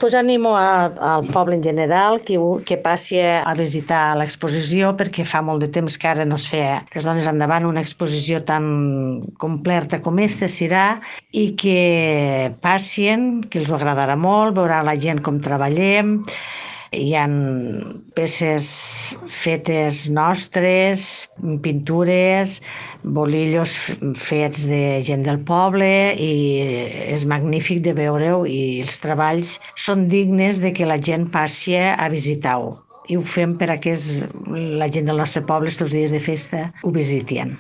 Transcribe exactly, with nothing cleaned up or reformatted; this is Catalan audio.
Pues animo a, al poble en general que, ho- que passi a visitar l'exposició perquè fa molt de temps que ara no es feia, que es dones endavant una exposició tan completa com esta serà i que passien, que els ho agradarà molt, veurà la gent com treballem. Hi han peces fetes nostres, pintures, bolillos fets de gent del poble i és magnífic de veure-ho i els treballs són dignes de que la gent passi a visitar-ho. I ho fem per a que la gent del nostre poble, estos dies de festa, ho visitien.